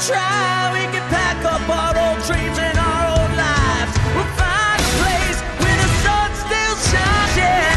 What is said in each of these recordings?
try, we can pack up our old dreams and our old lives. We'll find a place where the sun still shines. Yeah.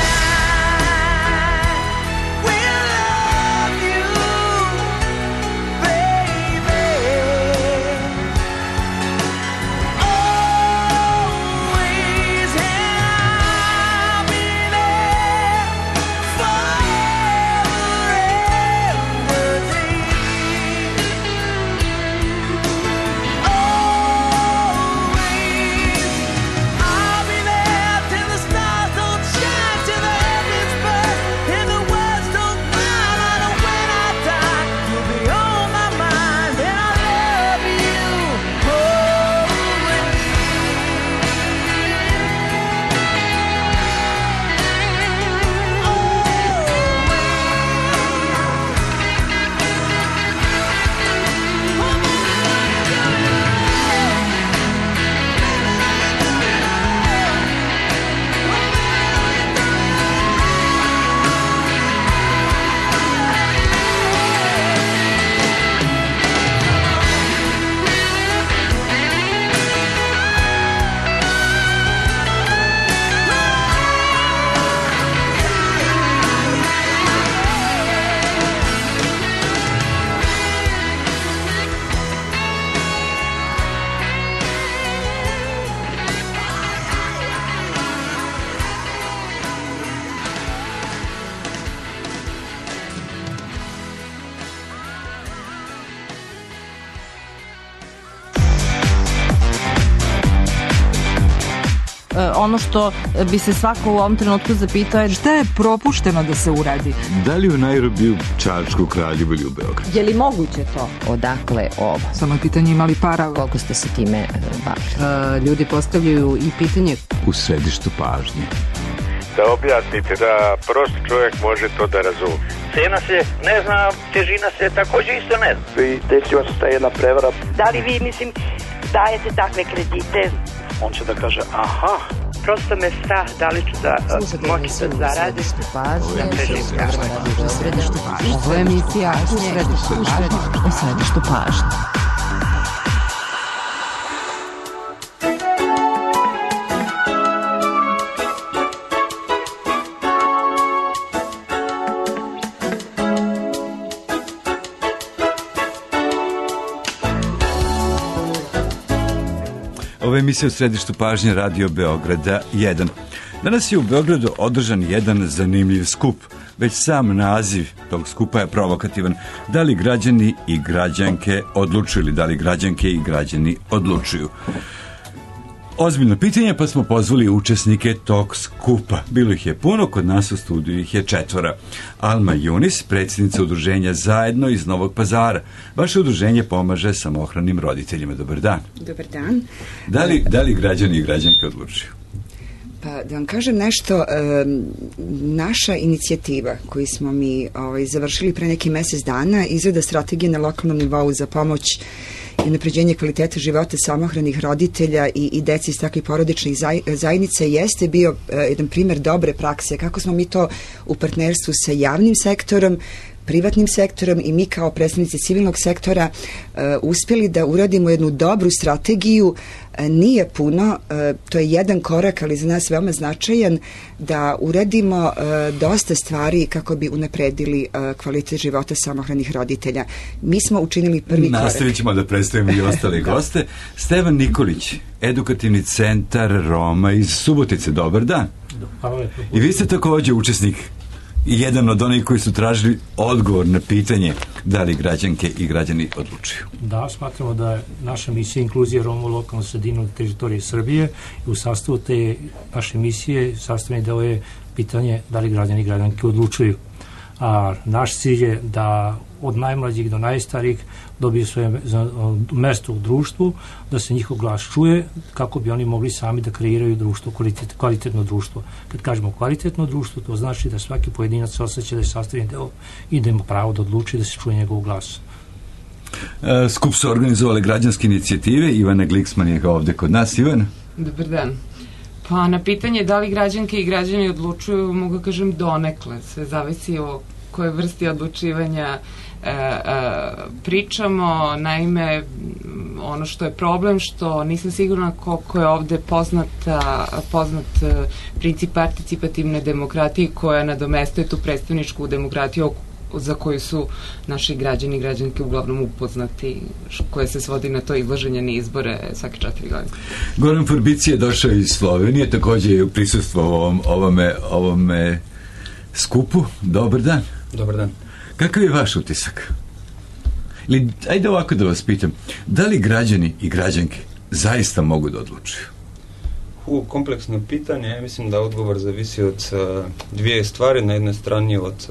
Ono što bi se svako u ovom trenutku zapitao je šta je propušteno da se uradi? Da li u Nairobiju, Čačku, Kraljevu ili u Beogradu? Je li moguće to? Odakle ovo? Samo je pitanje imali para. Koliko ste se time bavili? Ljudi postavljaju i pitanje u središtu pažnje. Da objasnite da prost čovjek može to da razumije. Cena se ne zna, težina se također isto ne zna. I desila se ta jedna prevara. Da li vi, mislim, dajete takve kredite? On će da kaže, aha. Prosto me strah da li ću da moći da zaradim. Ovo je emisija u središtu pažnje. Ova emisija u središtu pažnje Radio Beograda 1. Danas je u Beogradu održan jedan zanimljiv skup. Već sam naziv tog skupa je provokativan. Da li građani i građanke odlučuju ili da li građanke i građani odlučuju? Ozbiljno pitanje, pa smo pozvali učesnike tog skupa. Bilo ih je puno, kod nas u studiju ih je 4. Alma Junis, predsjednica udruženja Zajedno iz Novog Pazara. Vaše udruženje pomaže samohranim roditeljima. Dobar dan. Dobar dan. Da li građani i građanke odlučuju? Pa da vam kažem nešto, naša inicijativa koju smo mi završili pre neki mjesec dana, izrada strategije na lokalnom nivou za pomoć i unapređenje kvalitete života samohranih roditelja i dece iz takvih porodičnih zajednica jeste bio jedan primjer dobre prakse, kako smo mi to u partnerstvu sa javnim sektorom, privatnim sektorom i mi kao predstavnici civilnog sektora uspjeli da uradimo jednu dobru strategiju. Nije puno, to je jedan korak, ali za nas veoma značajan, da uradimo dosta stvari kako bi unapredili kvalitet života samohranih roditelja. Mi smo učinili prvi korak. Nastavit ćemo da predstavimo i ostale goste. Stevan Nikolić, Edukativni centar Roma iz Subotice. Dobar dan. I vi ste također učesnik i jedan od onih koji su tražili odgovor na pitanje da li građanke i građani odlučuju. Da, smatramo da je naša misija inkluzija Roma u lokalnu sredinu teritorije Srbije i u sastavu te naše misije sastavni deo je pitanje da li građani i građanke odlučuju. A naš cilj je da od najmlađih do najstarijih dobiju svoje mesto u društvu, da se njihov glas čuje kako bi oni mogli sami da kreiraju društvo, kvalitetno društvo. Kad kažemo kvalitetno društvo, to znači da svaki pojedinac osjeća da je sastavni deo i da ima pravo da odluči da se čuje njegov glas. Skup su organizovali građanske inicijative. Ivana Gliksman je ovdje kod nas. Ivana? Dobar dan. Pa na pitanje da li građanke i građani odlučuju, mogu kažem donekle. Sve zavisi o kojoj vrsti odlučivanja pričamo. Naime, ono što je problem, što nisam sigurna koliko je ovde poznat princip participativne demokratije koja nadomestuje tu predstavničku demokratiju za koju su naši građani i građanke uglavnom upoznati, koje se svodi na to izlaženje na izbore svake 4 godine. Goran Forbici je došao iz Slovenije, takođe je u prisustvu ovome skupu. Dobar dan. Dobar dan. Kakav je vaš utisak? Ili, ajde ovako da vas pitam, da li građani i građanke zaista mogu da odlučuju? Kompleksno pitanje. Ja mislim da odgovor zavisi od dvije stvari. Na jednoj strani od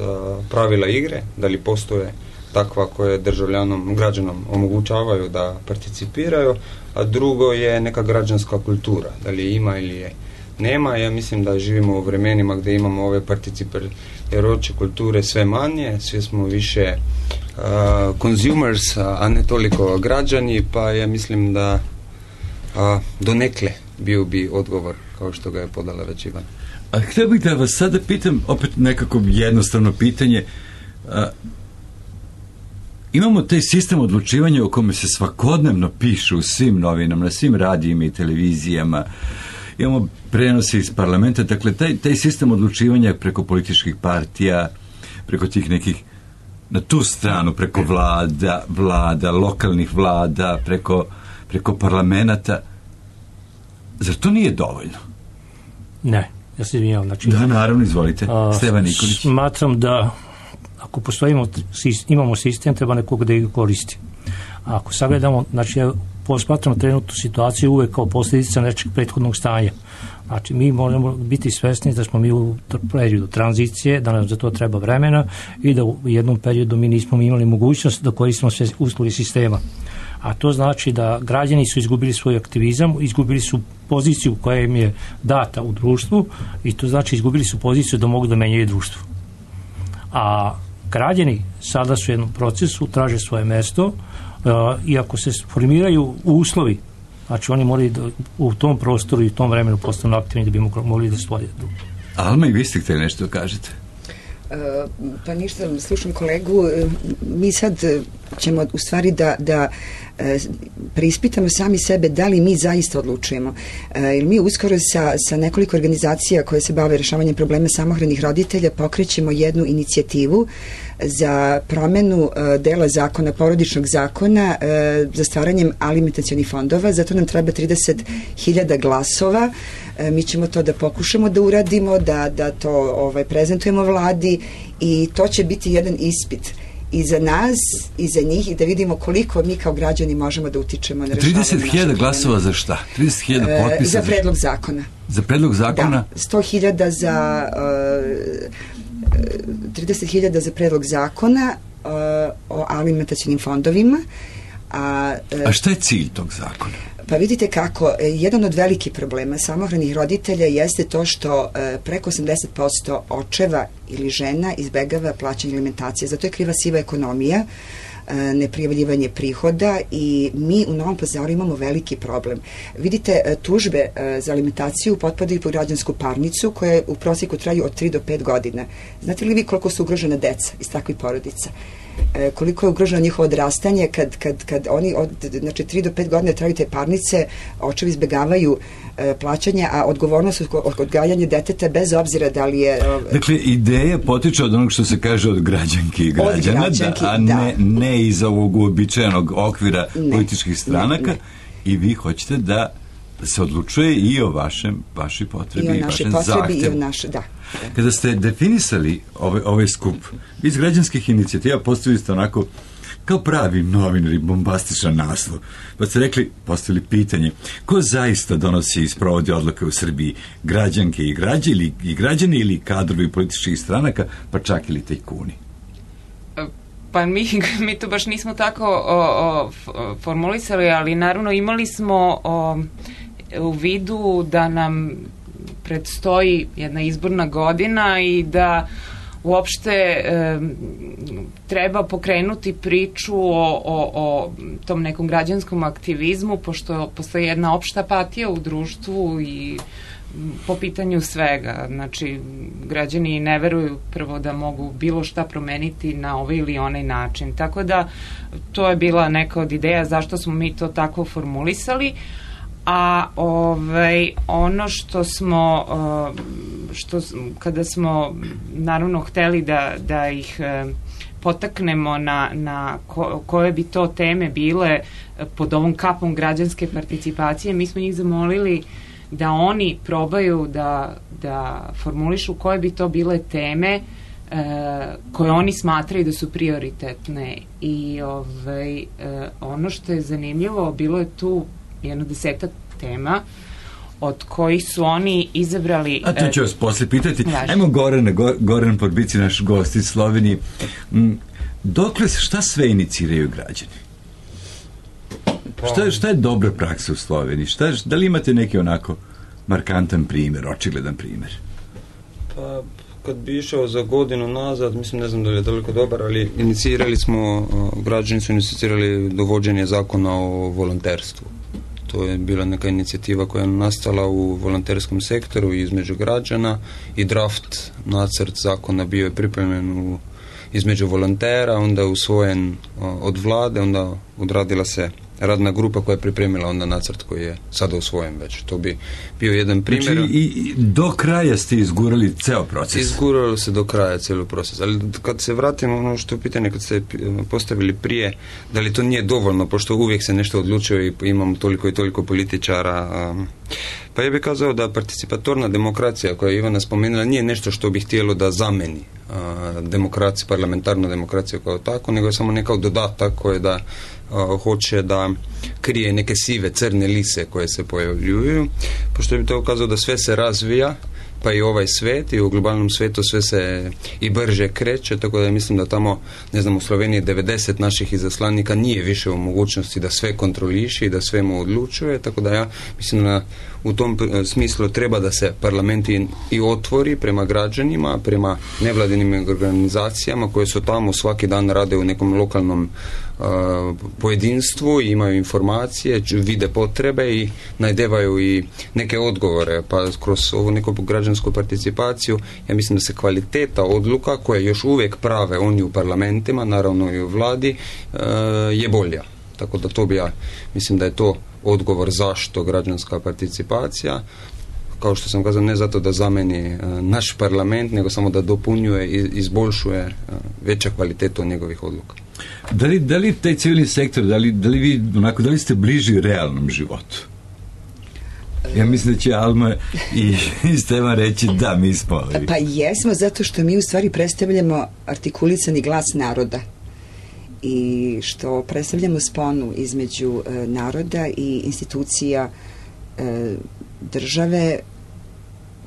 pravila igre, da li postoje takva koje državljanom, građanom omogućavaju da participiraju, a drugo je neka građanska kultura, da li ima ili je nema. Ja mislim da živimo u vremenima gde imamo ove participirajuće kulture sve manje, svi smo više consumers, a ne toliko građani, pa ja mislim da donekle bio bi odgovor kao što ga je podala već Ivan. A htio bih da vas sada pitam opet nekako jednostavno pitanje. Imamo taj sistem odlučivanja o kome se svakodnevno piše u svim novinama, na svim radijima i televizijama. Imamo prenose iz parlamenta, dakle taj sistem odlučivanja preko političkih partija, preko tih nekih, na tu stranu, preko vlada, lokalnih vlada, preko parlamenta. Zar to nije dovoljno? Ne, ja se izvinjavam. Znači, da, naravno, izvolite. Stevan Nikolić. Smatram da ako imamo sistem, treba nekog da ga koristi. A ako sagledamo, znači ja posmatram trenutnu situaciju uvek kao posljedica nečeg prethodnog stanja. Znači mi moramo biti svesni da smo mi u periodu tranzicije, da nam za to treba vremena i da u jednom periodu mi nismo imali mogućnost da koristimo sve uslovi sistema. A to znači da građani su izgubili svoj aktivizam, izgubili su poziciju koja im je data u društvu i to znači izgubili su poziciju da mogu da menjaju društvo. A građani sada su u jednom procesu, traže svoje mesto i ako se formiraju uslovi, znači oni moraju da u tom prostoru i u tom vremenu postanu aktivni da bi mogli da stvore drugo. Alma, i vi ste htjeli nešto da kažete? Pa ništa, slušam kolegu, mi sad ćemo u stvari da preispitamo sami sebe da li mi zaista odlučujemo. Jer mi uskoro sa nekoliko organizacija koje se bave rešavanjem problema samohranih roditelja pokrećemo jednu inicijativu za promenu dela zakona, porodičnog zakona, za stvaranjem alimentacionih fondova. Zato nam treba 30.000 glasova. Mi ćemo to da pokušamo da uradimo, da to prezentujemo vladi i to će biti jedan ispit i za nas, i za njih, i da vidimo koliko mi kao građani možemo da utičemo na rešavanje. 30.000 glasova za šta? 30.000 potpisa? Za predlog zakona. Za predlog zakona? Da, 100.000 za 30.000 za predlog zakona o alimentacionim fondovima. A šta je cilj tog zakona? Pa vidite kako, jedan od velikih problema samohranih roditelja jeste to što preko 80% očeva ili žena izbegava plaćanje alimentacije. Zato je kriva siva ekonomija, neprijavljivanje prihoda i mi u Novom Pazaru imamo veliki problem. Vidite, tužbe za alimentaciju potpadaju pod građansku parnicu koja u prosjeku traju od 3 do 5 godina. Znate li vi koliko su ugrožena deca iz takvih porodica? Koliko je ugroženo njihovo odrastanje kad oni od 3 do 5 godina traju te parnice, očevi izbegavaju plaćanja, a odgovornost od odgajanja deteta bez obzira da li je... Dakle, ideja potiče od onog što se kaže od građanki i građana, a ne iz ovog uobičajenog okvira političkih stranaka i vi hoćete da se odlučuje i o vašoj potrebi i vašem zahtevu. Da. Kada ste definisali ovaj skup, vi iz građanskih inicijativa postavili ste onako kao pravi novinari, bombastičan naslov. Pa ste rekli, postavili pitanje, ko zaista donosi i sprovodi odluke u Srbiji? Građanke i građani ili kadrovi političkih stranaka, pa čak ili tajkuni? Pa mi to baš nismo tako formulisali, ali naravno imali smo u vidu da nam predstoji jedna izborna godina i da uopšte treba pokrenuti priču o tom nekom građanskom aktivizmu, pošto postoji jedna opšta apatija u društvu i po pitanju svega. Znači, građani ne veruju prvo da mogu bilo šta promeniti na ovaj ili onaj način. Tako da, to je bila neka od ideja zašto smo mi to tako formulisali. A ono što smo kada smo naravno hteli da ih potaknemo na koje bi to teme bile pod ovom kapom građanske participacije, mi smo njih zamolili da oni probaju da formulišu koje bi to bile teme koje oni smatraju da su prioritetne. I ono što je zanimljivo, bilo je tu jedno 10 tema od kojih su oni izabrali... A to ću vas posle pitati. Ajmo Goran Podbici, naš gost iz Slovenije. Dokle, šta sve iniciraju građani? Šta je dobra praksa u Sloveniji? Da li imate neki onako markantan primjer, očigledan primjer? Pa, kad bi išao za godinu nazad, mislim, ne znam da li je toliko dobar, ali građani su inicirali dovođenje zakona o volonterstvu. To je bila neka inicijativa koja je nastala u volonterskom sektoru između građana i draft nacrt zakona bio je pripremljen između volontera, onda usvojen od vlade, onda odradila se radna grupa koja je pripremila onda nacrt koji je sada usvojen već. To bi bio jedan primjer. Znači i do kraja ste izgurali ceo proces? Izguralo se do kraja cijeli proces. Ali kad se vratimo ono što je pitanje, kad ste postavili prije, da li to nije dovoljno, pošto uvijek se nešto odlučuje i imamo toliko i toliko političara. Pa ja bih kazao da participatorna demokracija koja je Ivana spomenula nije nešto što bi htjelo da zameni demokraciju, parlamentarnu demokraciju kao tako, nego je samo neka dodatak koje da hoće da krije neke sive, crne lise koje se pojavljuju, pošto bi to ukazao da sve se razvija, pa i ovaj svet, i u globalnom svetu sve se i brže kreće, tako da mislim da tamo, ne znam, u Sloveniji 90 naših izaslanika nije više u mogućnosti da sve kontroliše i da sve mu odlučuje, tako da ja mislim da u tom smislu treba da se parlament i otvori prema građanima, prema nevladinim organizacijama koje su tamo svaki dan rade u nekom lokalnom pojedinstvu, imaju informacije, vide potrebe i najdevaju i neke odgovore, pa kroz ovu neku građansku participaciju ja mislim da se kvaliteta odluka koje još uvijek prave oni u parlamentima, naravno i u vladi, je bolja. Tako da to bi ja mislim da je to odgovor zašto građanska participacija, kao što sam kazao, ne zato da zameni naš parlament, nego samo da dopunjuje i izboljšuje veća kvalitetu njegovih odluka. Da li taj civilni sektor, da li ste bliži realnom životu? Ja mislim da će Alma i Stevan reći da, mi smo. Pa jesmo, zato što mi u stvari predstavljamo artikulisani glas naroda i što predstavljamo sponu između naroda i institucija države,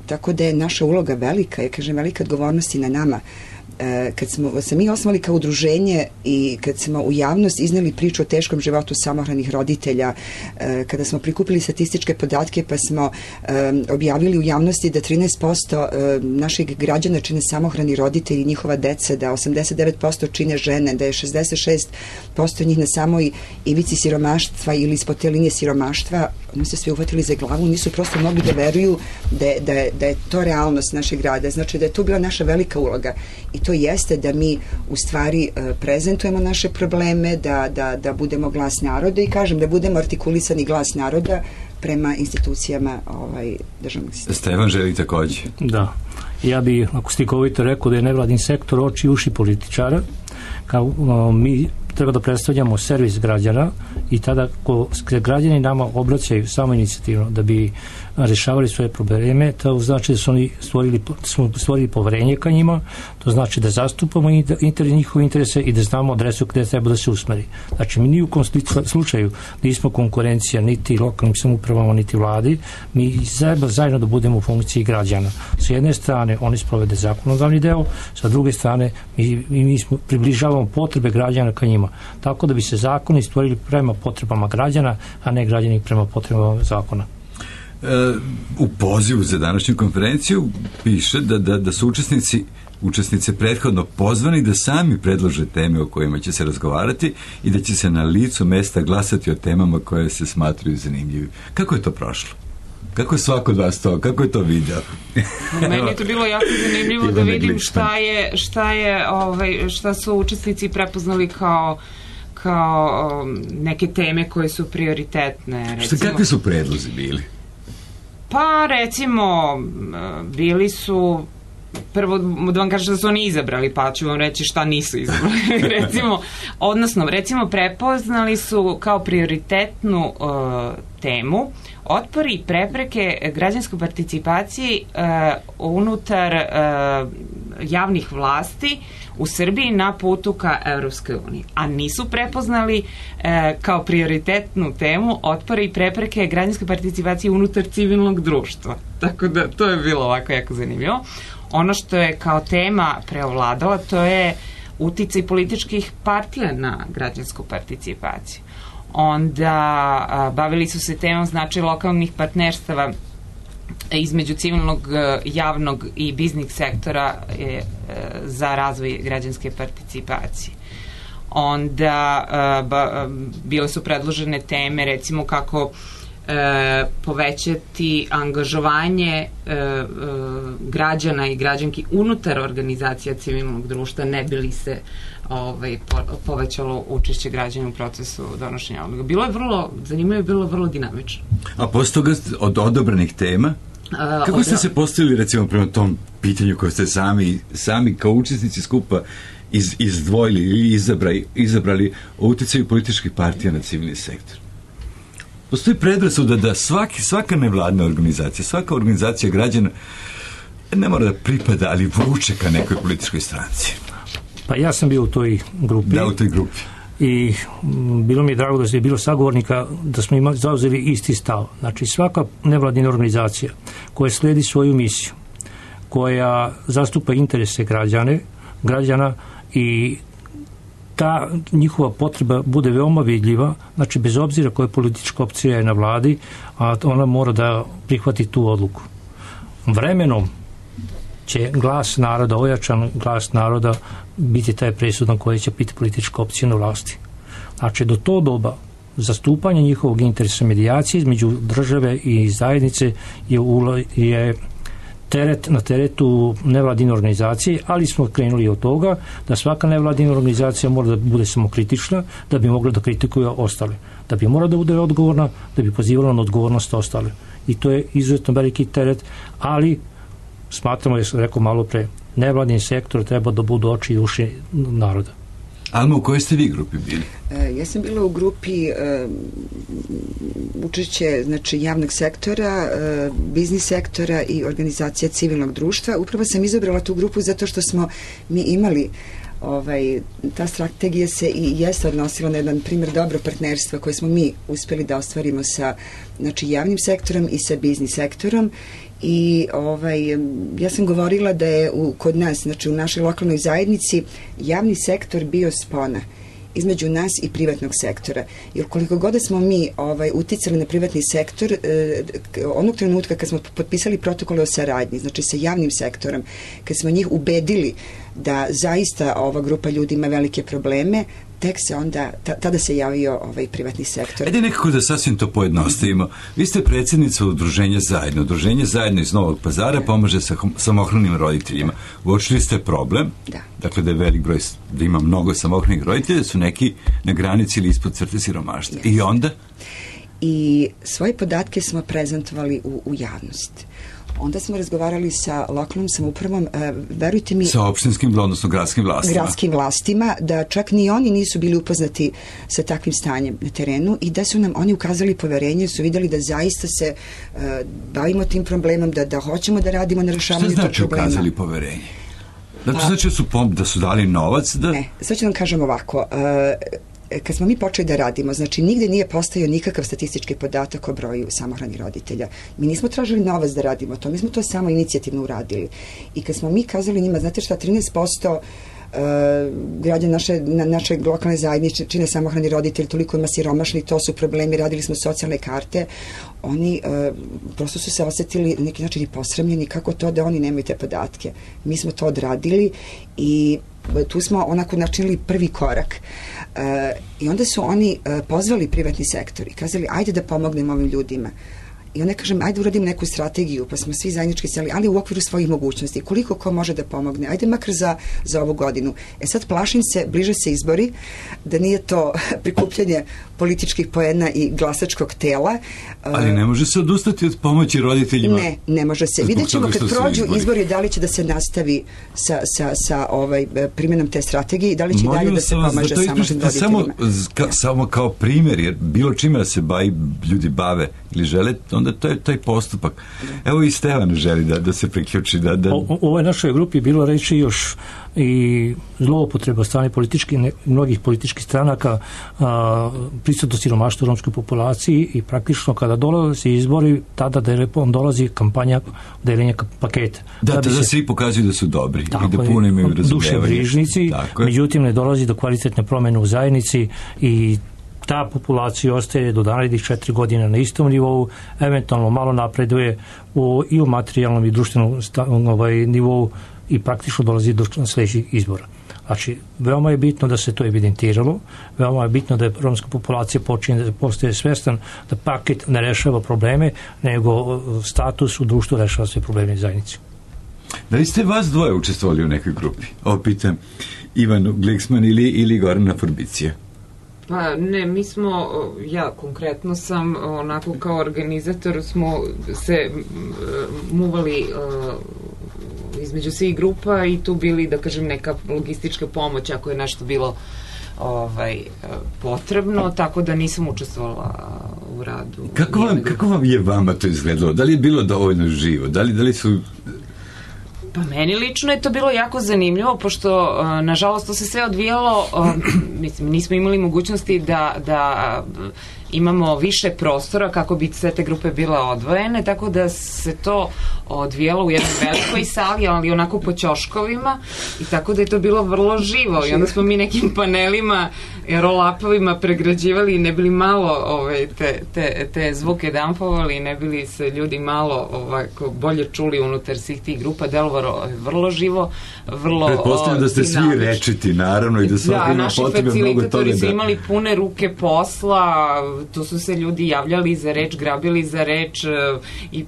tako da je naša uloga velika, ja kažem velika odgovornost i na nama. Kad smo se mi osnovali kao udruženje i kad smo u javnost izneli priču o teškom životu samohranih roditelja, kada smo prikupili statističke podatke pa smo objavili u javnosti da 13% naših građana čine samohrani roditelji i njihova deca, da 89% čine žene, da je 66% njih na samoj ivici siromaštva ili ispod te linije siromaštva, oni se svi uhvatili za glavu, nisu prosto mogli da veruju da je to realnost našeg grada. Znači da je to bila naša velika uloga i to jeste da mi u stvari prezentujemo naše probleme, da budemo glas naroda i kažem da budemo artikulisani glas naroda prema institucijama državnog sistema. Stevan želi takođe. Da. Ja bih, ako slikovito rekao, da je nevladin sektor oči i uši političara, kao mi treba da predstavljamo servis građana i tada ko građani nama obraćaju samo inicijativno da bi rešavali svoje probleme, to znači da su oni stvorili poverenje ka njima, to znači da zastupamo njihove interese i da znamo adresu gde treba da se usmeri. Znači mi ni u kom slučaju nismo konkurencija niti lokalnim samoupravama niti vladi, mi zajedno da budemo u funkciji građana. Sa jedne strane oni sprovede zakonodavni deo, sa druge strane mi približavamo potrebe građana ka njima. Tako da bi se zakoni stvorili prema potrebama građana, a ne građani prema potrebama zakona. U pozivu za današnju konferenciju piše da su učesnici učesnice prethodno pozvani da sami predlože teme o kojima će se razgovarati i da će se na licu mesta glasati o temama koje se smatraju zanimljivim. Kako je to prošlo? Kako je svako od vas to? Kako je to video? Meni je to bilo jako zanimljivo da vidim šta su učesnici prepoznali kao neke teme koje su prioritetne. Kakvi su predlozi bili? Pa recimo bili su, prvo da vam kažem da su oni izabrali, pa ću vam reći šta nisu izabrali. recimo prepoznali su kao prioritetnu temu otpori i prepreke građanskoj participaciji unutar javnih vlasti u Srbiji na putu ka Evropskoj uniji. A nisu prepoznali kao prioritetnu temu otpori i prepreke građanskoj participaciji unutar civilnog društva. Tako da to je bilo ovako jako zanimljivo. Ono što je kao tema preovladala, to je uticaj političkih partija na građansku participaciju. Onda bavili su se temom značaj lokalnih partnerstava između civilnog, javnog i biznis sektora za razvoj građanske participacije. Onda bile su predložene teme, recimo kako povećati angažovanje građana i građanki unutar organizacija civilnog društva, ne bi li se povećalo učešće građana u procesu donošenja odluka. Bilo je vrlo zanimljivo i bilo vrlo dinamično. A posle toga od odabranih tema, kako ste se postavili recimo prema tom pitanju koje ste sami kao učesnici skupa izdvojili ili izabrali o uticaju političkih partija na civilni sektor? Postoji predrasuda da svaka nevladna organizacija, svaka organizacija građana ne mora da pripada, ali vuče ka nekoj političkoj stranci. Pa ja sam bio u toj grupi. Da, u toj grupi. I bilo mi je drago da je bilo sagovornika, da smo zauzeli isti stav. Znači svaka nevladina organizacija koja sledi svoju misiju, koja zastupa interese građana i ta njihova potreba bude veoma vidljiva, znači bez obzira koja politička opcija je na vladi, a ona mora da prihvati tu odluku. Vremenom će glas naroda, ojačan glas naroda, biti taj presudan koji će biti politička opcija na vlasti. Znači do to doba zastupanje njihovog interesa, medijacije između države i zajednice je na teretu nevladine organizacije, ali smo krenuli od toga da svaka nevladina organizacija mora da bude samokritična, da bi mogla da kritikuje ostale, da bi mora da bude odgovorna, da bi pozivala na odgovornost ostale. I to je izuzetno veliki teret, ali smatramo, ja sam rekao malo pre, nevladin sektor treba da budu oči i uši naroda. Alma, u kojoj ste vi grupi bili? Ja sam bila u grupi učešće javnog sektora, biznis sektora i organizacija civilnog društva. Upravo sam izabrala tu grupu zato što smo mi imali ta strategija se i jeste odnosila na jedan primjer dobro partnerstva koje smo mi uspeli da ostvarimo sa javnim sektorom i sa biznis sektorom. I ja sam govorila da je kod nas, u našoj lokalnoj zajednici, javni sektor bio spona između nas i privatnog sektora. Jer koliko god smo mi uticali na privatni sektor, onog trenutka kad smo potpisali protokole o saradnji, znači sa javnim sektorom, kad smo njih ubedili da zaista ova grupa ljudi ima velike probleme, tek se onda, tada se javio privatni sektor. Ajde nekako da sasvim to pojednostavimo. Vi ste predsjednica Udruženja Zajedno. Udruženje Zajedno iz Novog Pazara pomaže samohranim roditeljima. Uočili ste problem, dakle da je velik broj, da ima mnogo samohranih roditelja, da su neki na granici ili ispod crte siromaštva. I onda? I svoje podatke smo prezentovali u javnost. Onda smo razgovarali sa lokalnom samoupravom, verujte mi... Sa opštinskim, odnosno gradskim vlastima. Gradskim vlastima, da čak ni oni nisu bili upoznati sa takvim stanjem na terenu i da su nam oni ukazali poverenje, su vidjeli da zaista se bavimo tim problemom, da hoćemo da radimo na rešavanju tog problema. Šta znači ukazali poverenje? Znači da su dali novac? Ne, sad ću vam kažem ovako... Kad smo mi počeli da radimo, znači nigde nije postojao nikakav statistički podatak o broju samohranih roditelja. Mi nismo tražili novac da radimo to, mi smo to samo inicijativno uradili. I kad smo mi kazali njima, znate šta, 13% građani naše lokalne zajednice čine samohrani roditelji, toliko ima siromašni, to su problemi, radili smo socijalne karte, oni prosto su se osetili na neki način i posramljeni, kako to da oni nemaju te podatke. Mi smo to odradili i tu smo onako načinili prvi korak. I onda su oni pozvali privatni sektor i kazali, ajde da pomognemo ovim ljudima. I onda kažem, ajde uradim neku strategiju, pa smo svi zajednički seli, ali u okviru svojih mogućnosti. Koliko ko može da pomogne? Ajde makar za ovu godinu. Sad plašim se, bliže se izbori, da nije to prikupljanje političkih poena i glasačkog tela. Ali ne može se odustati od pomoći roditeljima? Ne može se. Vidjet ćemo kad prođu izbori da li će da se nastavi sa primjenom te strategije i da li će dalje da se pomaže samohranim roditeljima. Samo kao primjer, jer bilo čime da se ljudi bave ili žele, onda to je taj postupak. Evo i Stevan želi da se priključi. U ovoj našoj grupi bilo reći još i zloupotreba strane mnogih političkih stranaka, prisutno siromaštvo u romskoj populaciji i praktično kada dolaze izbori, tada dolazi kampanja deljenja paketa. Da svi pokazuju da su dobri i da puno imaju razumevanja. Duše brižnici, međutim ne dolazi do kvalitetne promjene u zajednici i ta populacija ostaje do narednih 4 godine na istom nivou, eventualno malo napreduje i u materijalnom i društvenom nivou i praktično dolazi do sljedećih izbora. Znači, veoma je bitno da se to evidentiralo, veoma je bitno da je romska populacija počinje da postaje svjestan da paket ne rešava probleme, nego status u društvu rešava sve probleme zajednice. Da li ste vas dvoje učestvovali u nekoj grupi? Ovo pitam Ivanu Gliksman ili Gorana Forbicija. Pa ne, mi smo, ja konkretno sam, onako kao organizator smo se muvali između svih grupa i tu bili, da kažem, neka logistička pomoć ako je nešto bilo potrebno, tako da nisam učestvovala u radu. Kako vam je vama to izgledalo? Da li je bilo dovoljno živo? Da li su... Pa meni lično je to bilo jako zanimljivo, pošto nažalost to se sve odvijalo, nismo imali mogućnosti da imamo više prostora kako bi sve te grupe bile odvojene, tako da se to odvijalo u jednoj velikoj sali, ali onako po ćoškovima, i tako da je to bilo vrlo živo i onda smo mi nekim panelima, roll-upovima pregrađivali i ne bili malo te zvuke dampovali, ne bili se ljudi malo bolje čuli unutar svih tih grupa, delovalo vrlo živo, vrlo pretpostavljam da ste svi rečiti, naravno, i da svaki ima potrebe mnogo toga. Naši facilitatori su imali pune ruke posla, tu su se ljudi javljali za reč, grabili za reč i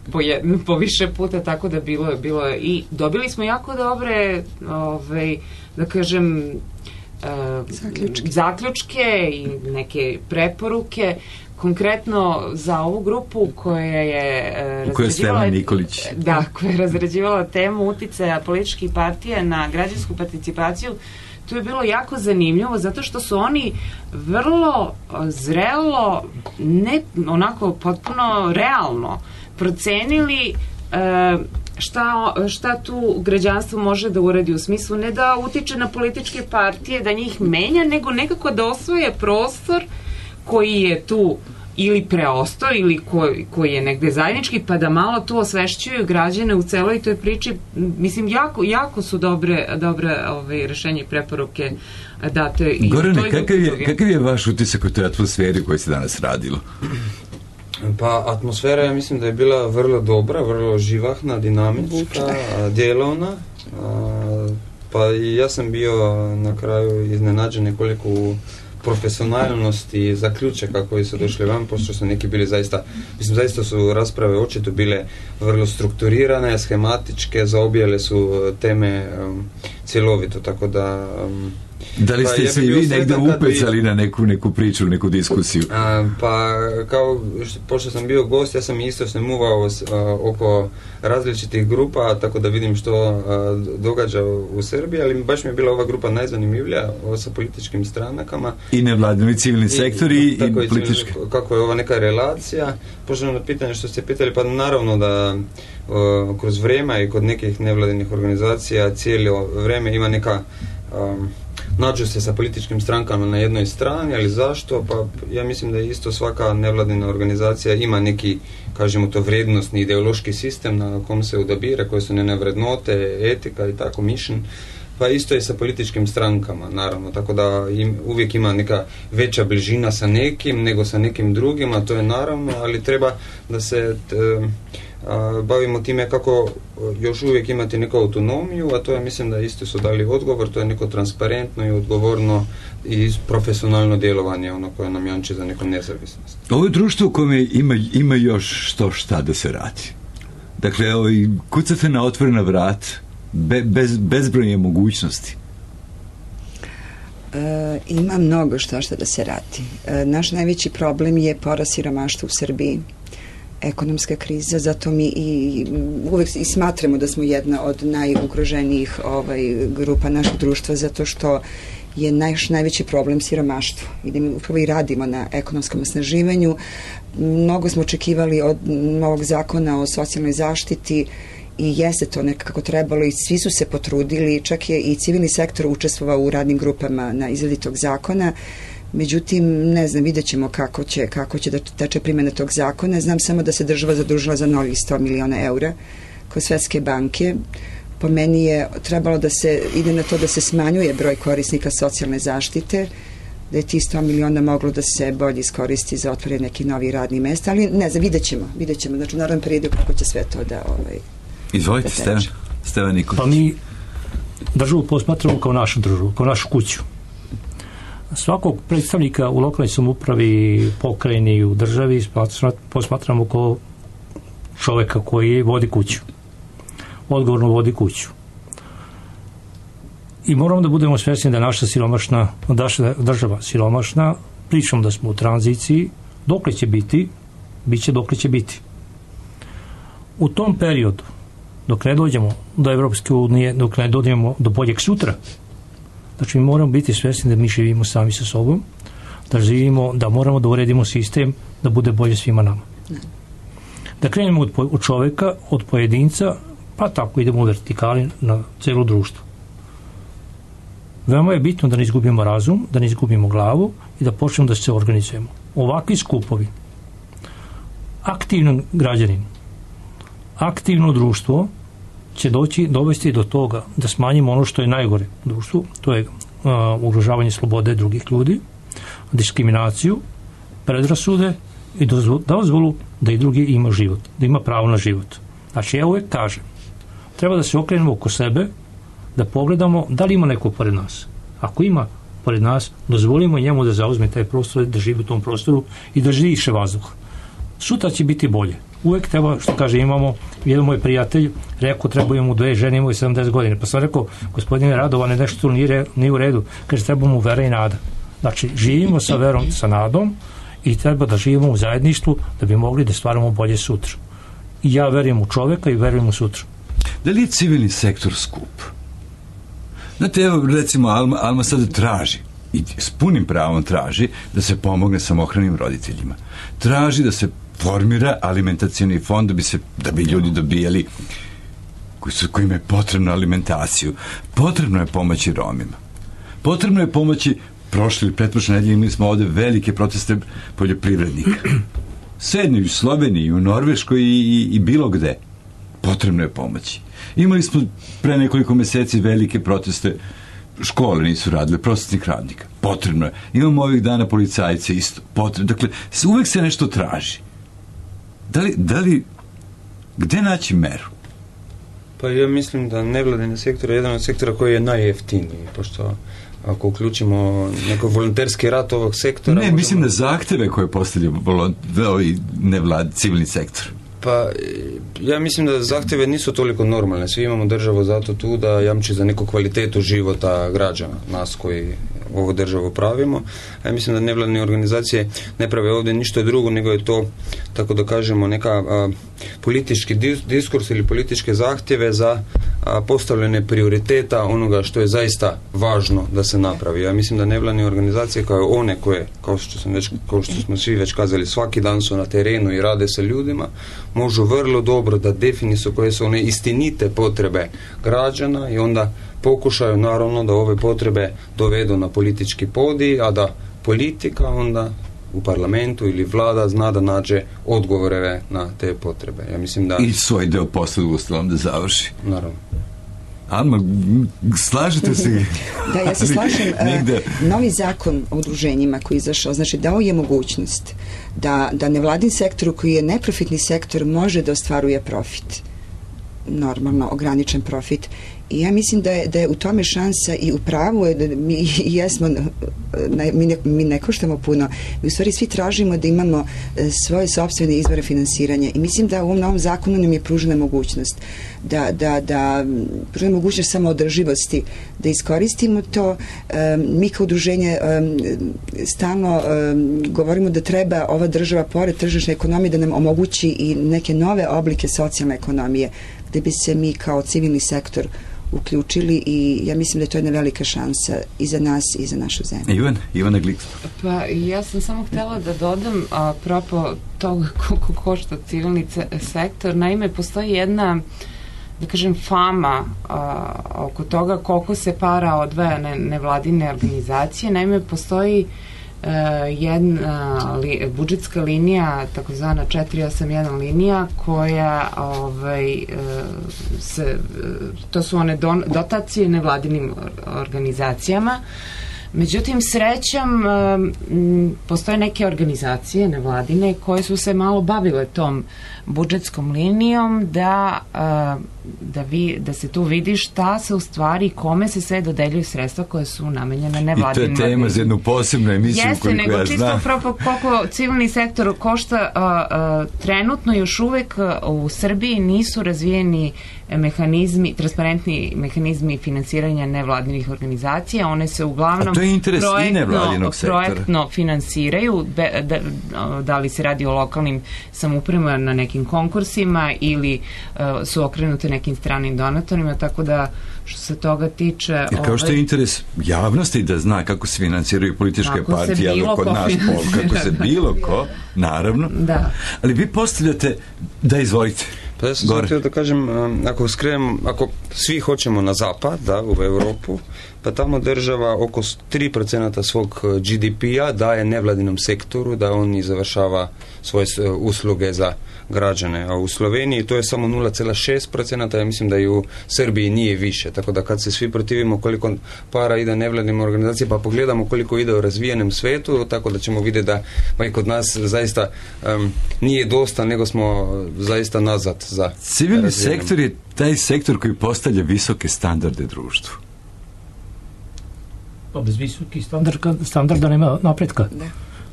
po više puta, tako da bilo je i dobili smo jako dobre da kažem zaključke i neke preporuke. Konkretno za ovu grupu koja je razrađivala temu uticaja političkih partija na građansku participaciju, tu je bilo jako zanimljivo zato što su oni vrlo zrelo, ne onako potpuno realno procenili šta tu građanstvo može da uradi, u smislu ne da utiče na političke partije, da njih menja, nego nekako da osvoje prostor koji je tu ili preostao ili koji je negde zajednički, pa da malo tu osvešćuju građane u celoj toj priči. Mislim, jako su dobre rešenje i preporuke date. Gorane, kakav je vaš utisak u toj atmosferi u kojoj se danas radilo? Pa atmosfera, ja mislim da je bila vrlo dobra, vrlo živahna, dinamička, djelovna. Pa i ja sam bio na kraju iznenađen nekoliko u profesionalnosti i zaključaka koji su došli van, pošto su neki bili zaista su rasprave očito bile vrlo strukturirane, schematičke, zaobjele su teme cjelovito, tako da... Da li ste se i vi negdje upecali na neku priču, neku diskusiju? Pa, pošto sam bio gost, ja sam isto se muvao oko različitih grupa, tako da vidim što događa u Srbiji, ali baš mi je bila ova grupa najzanimljivija, sa političkim stranakama. I nevladini civilni sektori i politički. Kako je ova neka relacija? Pošto na pitanje što ste pitali, pa naravno da kroz vrijeme i kod nekih nevladinih organizacija cijelo vrijeme ima neka... nađu se sa političkim strankama na jednoj strani, ali zašto? Pa ja mislim da isto svaka nevladina organizacija ima neki, kažemo to, vrijednosni ideološki sistem na kom se odabira, koje su njene vrednote, etika i tako, mišljenje. Pa isto je sa političkim strankama, naravno, tako da uvijek ima neka veća bližina sa nekim nego sa nekim drugim, a to je naravno, ali treba da se bavimo time kako još uvijek imati neku autonomiju, a to je, mislim da isto su dali odgovor, to je neko transparentno i odgovorno i profesionalno djelovanje, ono koje nam jamči za neku nezavisnost. Ovo je društvo u kojem ima još šta da se radi. Dakle, kucate na otvorena vrat, bezbrojne mogućnosti. Ima mnogo šta da se radi. Naš najveći problem je porast siromaštva u Srbiji, ekonomska kriza, zato mi uvek i smatramo da smo jedna od najugroženijih grupa našeg društva, zato što je naš najveći problem siromaštvo. I da mi upravo i radimo na ekonomskom osnaživanju. Mnogo smo očekivali od novog zakona o socijalnoj zaštiti i jeste to nekako trebalo i svi su se potrudili, čak je i civilni sektor učestvovao u radnim grupama na izradi tog zakona. Međutim, ne znam, vidjet ćemo kako će da teče primjena tog zakona. Znam samo da se država zadužila za novih 100 miliona eura kod Svetske banke. Po meni je trebalo da se ide na to da se smanjuje broj korisnika socijalne zaštite, da je ti 100 miliona moglo da se bolje iskoristi za otvaranje nekih novih radnih mesta, ali ne znam, vidjet ćemo. Znači, u naravnom periodu kako će sve to da Izvolite, Stevan Nikolić. Pa mi državu posmatramo kao našu državu, kao našu kuću. Svakog predstavnika u lokalnoj samoupravi, pokrajini, u državi posmatramo kao čoveka koji vodi kuću. Odgovorno vodi kuću. I moramo da budemo svjesni da je naša država siromašna, pričamo da smo u tranziciji, dokle će biti, bit će dokle će biti. U tom periodu, dok ne dođemo do Evropske unije, dok ne dođemo do boljeg sutra, znači mi moramo biti svjesni da mi živimo sami sa sobom, da moramo da uredimo sistem da bude bolje svima nama. Da krenemo od čoveka, od pojedinca, pa tako idemo u vertikali na celo društvo. Veoma je bitno da ne izgubimo razum, da ne izgubimo glavu i da počnemo da se organizujemo. Ovakvi skupovi, aktivan građanin, aktivno društvo će dovesti do toga da smanjimo ono što je najgore u društvu, to je ugrožavanje slobode drugih ljudi, diskriminaciju, predrasude i dozvolu da i drugi ima život, da ima pravo na život. Znači, ja uvek kažem, treba da se okrenemo oko sebe, da pogledamo da li ima neko pored nas. Ako ima pored nas, dozvolimo njemu da zauzme taj prostor, da živi u tom prostoru i da diše vazduh. Sutra će biti bolje. Uvek treba, što kaže, imamo, jedan moj prijatelj rekao, trebaju mu 2 žene, imaju 70 godina. Pa sam rekao, gospodine Radovane, nešto tu nije u redu. Kaže, treba mu vera i nada. Znači, živimo sa verom, sa nadom i treba da živimo u zajedništvu da bi mogli da stvaramo bolje sutra. I ja verujem u čoveka i verujem u sutra. Da li je civilni sektor skup? Znate, evo, recimo, Alma sada traži, i s punim pravom traži, da se pomogne samohranim roditeljima. Traži da se formira alimentacioni fond da bi ljudi dobijali kojima je potrebna alimentaciju. Potrebno je pomoći Romima. Potrebno je pomoći, prošle ili pretprošle nedelje imali smo ovde velike proteste poljoprivrednika. Sedni u Sloveniji, u Norveškoj i bilo gde. Potrebno je pomoći. Imali smo pre nekoliko meseci velike proteste, škole nisu radile, prosvetnih radnika. Potrebno je. Imamo ovih dana policajce isto. Potrebno. Dakle, uvek se nešto traži. Da li gde naći meru? Pa ja mislim da nevladini sektor je jedan od sektora koji je najjeftiniji, pošto ako uključimo neko volonterski rad ovog sektora... Ne, mislim na zahteve koje postavlja civilni sektor. Pa ja mislim da zahtjeve nisu toliko normalne. Svi imamo državu zato tu da jamči za neku kvalitetu života građana, nas koji ovu državu pravimo. Ja mislim da nevladine organizacije ne prave ovdje ništa drugo, nego je to, tako da kažemo, neka politički diskurs ili političke zahtjeve za postavljene prioriteta onoga što je zaista važno da se napravi. Ja mislim da nevladine organizacije kao one koje, kao što smo svi već kazali, svaki dan su na terenu i rade sa ljudima, možu vrlo dobro da definisu koje su one istinite potrebe građana i onda pokušaju naravno da ove potrebe dovedu na politički podij, a da politika onda u parlamentu ili vlada zna da nađe odgovore na te potrebe. Ja mislim da... I svoj deo posla ustalom da završi. Naravno. Alma, slažete se? Da, ja se slažem. Novi zakon o udruženjima koji je izašao, znači dao je mogućnost da nevladin sektor koji je neprofitni sektor može da ostvaruje profit. Normalno, ograničen profit. I ja mislim da je u tome šansa i u pravu je da mi jesmo, mi ne koštamo puno, mi u stvari svi tražimo da imamo svoje sopstvene izvore finansiranja i mislim da u ovom novom zakonu nam je pružena mogućnost da pružena mogućnost samoodrživosti, da iskoristimo to. Mi kao udruženje stalno govorimo da treba ova država pored tržišne ekonomije da nam omogući i neke nove oblike socijalne ekonomije gde bi se mi kao civilni sektor uključili i ja mislim da je to jedna velika šansa i za nas i za našu zemlju. Ivana Glick. Pa ja sam samo htela da dodam apropo toga koliko košta civilni sektor. Naime, postoji jedna, da kažem, fama oko toga koliko se para odvaja nevladine organizacije. Naime, postoji jedna budžetska linija, takozvana 481 linija, koja to su one dotacije nevladinim organizacijama. Međutim, srećom, postoje neke organizacije nevladine koje su se malo bavile tom budžetskom linijom da se tu vidi šta se u stvari, kome se sve dodeljuju sredstva koje su namenjene nevladinim. I to je tema za jednu posebnu emisiju koliko ja znam. Nego čisto koliko civilni sektor košta, trenutno još uvek u Srbiji nisu razvijeni mehanizmi, transparentni mehanizmi finansiranja nevladinih organizacija. One se uglavnom projektno finansiraju, da li se radi o lokalnim samoupravama na nekim konkursima ili su okrenute nekim stranim donatorima, tako da što se toga tiče... Jer kao što je interes javnosti da zna kako se finansiraju političke partije, ali kod nas kako se bilo ko, naravno. Da. Ali vi postavljate, da izvolite. Pa ja sam htio da kažem, ako svi hoćemo na zapad, u Europu, pa tamo država oko 3% svog GDP-a daje nevladinom sektoru da on završava svoje usluge za građane, a u Sloveniji to je samo 0,6%, ja mislim da i u Srbiji nije više, tako da kad se svi protivimo koliko para ide nevladnim organizacijama, pa pogledamo koliko ide u razvijenom svetu, tako da ćemo vidjeti da pa i kod nas zaista nije dosta, nego smo zaista nazad za civilni sektor je taj sektor koji postavlja visoke standarde društvu. Pa bez visokih standarda nema napretka.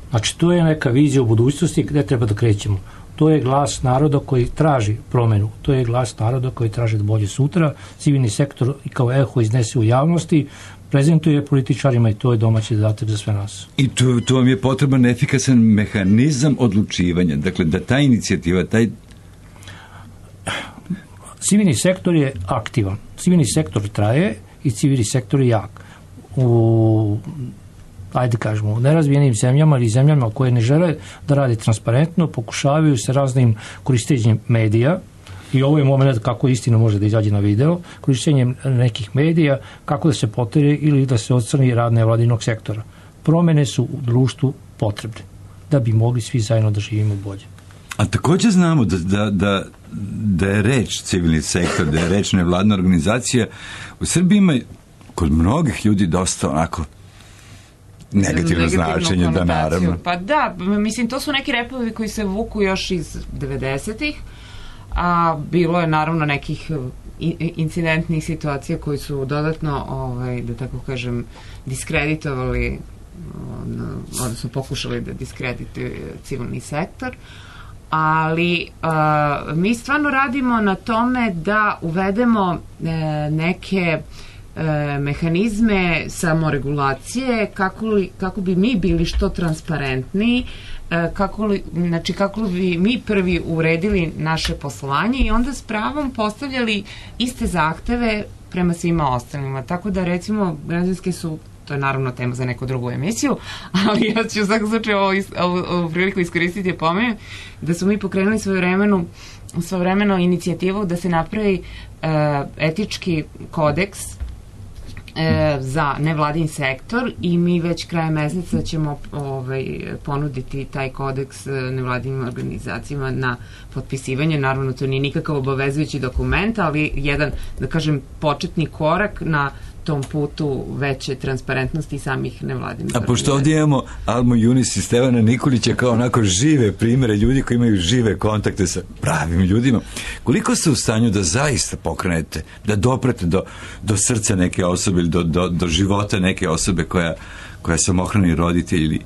Znači, to je neka vizija u budućnosti gde treba da krećemo. To je glas naroda koji traži promenu. To je glas naroda koji traži bolje sutra. Civilni sektor i kao eho iznese u javnosti, prezentuje političarima i to je domaći zadatak za sve nas. I tu vam je potreban efikasan mehanizam odlučivanja. Dakle, da ta inicijativa, Civilni sektor je aktivan. Civilni sektor traje i civilni sektor je jak. U nerazvijenim zemljama ili zemljama koje ne žele da radi transparentno, pokušavaju se raznim korištenjem medija, i ovo je moment kako istina može da izađe na video, korištenjem nekih medija, kako da se potire ili da se odstrani rad nevladinog sektora. Promene su u društvu potrebne, da bi mogli svi zajedno da živimo bolje. A također znamo da je reč civilni sektor, da je reč nevladna organizacija. U Srbiji ima kod mnogih ljudi dosta onako negativno značenje, da, naravno. Pa da, mislim, to su neki repovi koji se vuku još iz 90-ih, a bilo je naravno nekih incidentnih situacija koji su dodatno, da tako kažem, diskreditovali, odnosno pokušali da diskredituju civilni sektor, ali mi stvarno radimo na tome da uvedemo neke mehanizme samoregulacije kako bi mi bili što transparentniji, kako bi mi prvi uredili naše poslovanje i onda s pravom postavljali iste zahteve prema svima ostalima. Tako da recimo građanske su, to je naravno tema za neku drugu emisiju, ali ja ću u svakom slučaju ovu priliku iskoristiti i pomenuti da su mi pokrenuli svojevremeno inicijativu da se napravi etički kodeks za nevladin sektor i mi već krajem meseca ćemo ponuditi taj kodeks nevladinim organizacijama na potpisivanje. Naravno, to nije nikakav obavezujući dokument, ali jedan, da kažem, početni korak na tom putu veće transparentnosti samih nevladinih organizacija. A pošto ovdje imamo Almu Junis i Stevana Nikolića kao onako žive primere ljudi koji imaju žive kontakte sa pravim ljudima, koliko ste u stanju da zaista pokrenete, da doprete do srca neke osobe ili do života neke osobe koja samohrani roditelj,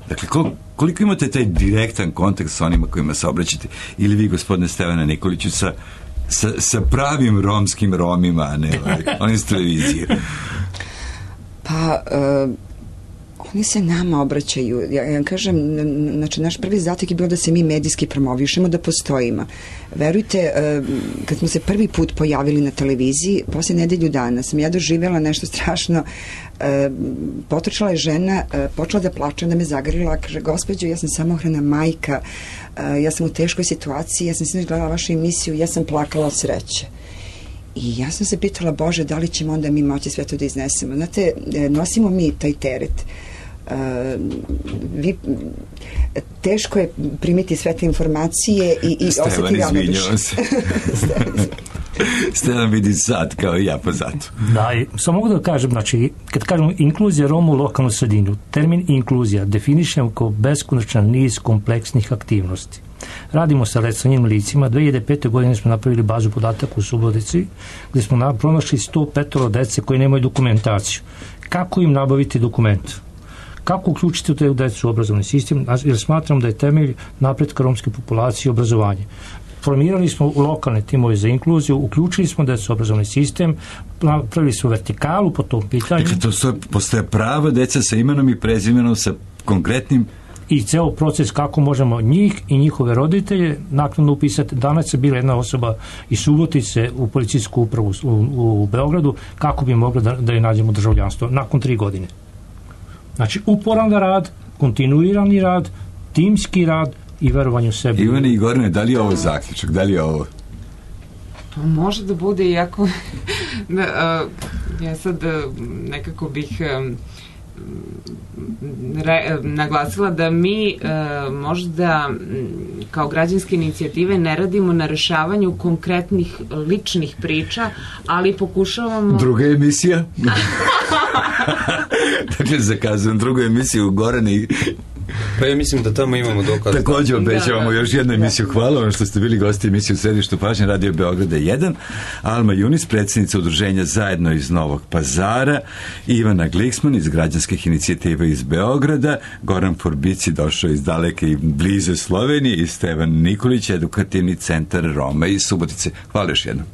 dakle koliko imate taj direktan kontakt sa onima kojima se obraćate, ili vi, gospodine Stevana Nikoliću, sa pravim romskim Romima, a ne oni s televizije? Pa oni se nama obraćaju. Ja kažem, znači naš prvi zadatak je bilo da se mi medijski promovišemo, da postojimo. Verujte, kad smo se prvi put pojavili na televiziji, posle nedelju dana sam ja doživjela nešto strašno. Potrčala je žena, počela da plače, da me zagrlila, kaže: gospođo, ja sam samohrana majka, ja sam u teškoj situaciji, ja sam sinoć gledala vašu emisiju, ja sam plakala od sreće. I ja sam se pitala: Bože, da li ćemo onda mi moći sve to da iznesemo? Znate, nosimo mi taj teret. Teško je primiti sve te informacije i osjeti ravnodušje. Stevan vidi sad kao i ja pozadu. Da, samo mogu da kažem, znači, kad kažemo inkluzija Roma u lokalnu sredinu, termin inkluzija definišemo kao beskonačan niz kompleksnih aktivnosti. Radimo sa reclanjenim licima. 2005. godine smo napravili bazu podataka u Subotici, gdje smo pronašli 105 dece koji nemaju dokumentaciju. Kako im nabaviti dokument? Kako uključiti u te decu u obrazovni sistem? Jer smatram da je temelj napretka romske populacije obrazovanje. Formirali smo lokalne timove za inkluziju, uključili smo decu u obrazovni sistem, napravili smo vertikalu po tom pitanju. Dakle, to postoje prava deca sa imenom i prezimenom, sa konkretnim... I ceo proces kako možemo njih i njihove roditelje naknadno upisati. Danas je bila jedna osoba iz Subotice u policijsku upravu u Beogradu, kako bi mogli da joj nađemo državljanstvo nakon 3 godine. Znači, uporan rad, kontinuirani rad, timski rad i verovanje u sebi. Ivane i Gorane, da li je ovo zaključak? Da li je ovo? Pa može da bude, iako ja sad nekako bih naglasila da mi možda kao građanske inicijative ne radimo na rešavanju konkretnih ličnih priča, ali pokušavamo... Druga emisija? Dakle, zakazujem drugu emisiju Gorane. Pa ja mislim da tamo imamo dokaz. Također obećavamo još jednu emisiju. Hvala vam što ste bili gosti emisije u središtu pažnje Radio Beograda 1. Alma Junis, predsjednica udruženja Zajedno iz Novog Pazara, Ivana Gliksman iz građanskih inicijativa iz Beograda, Goran Forbici došao iz daleke i blize Slovenije i Stevan Nikolić, edukativni centar Roma iz Subotice. Hvala još jednom.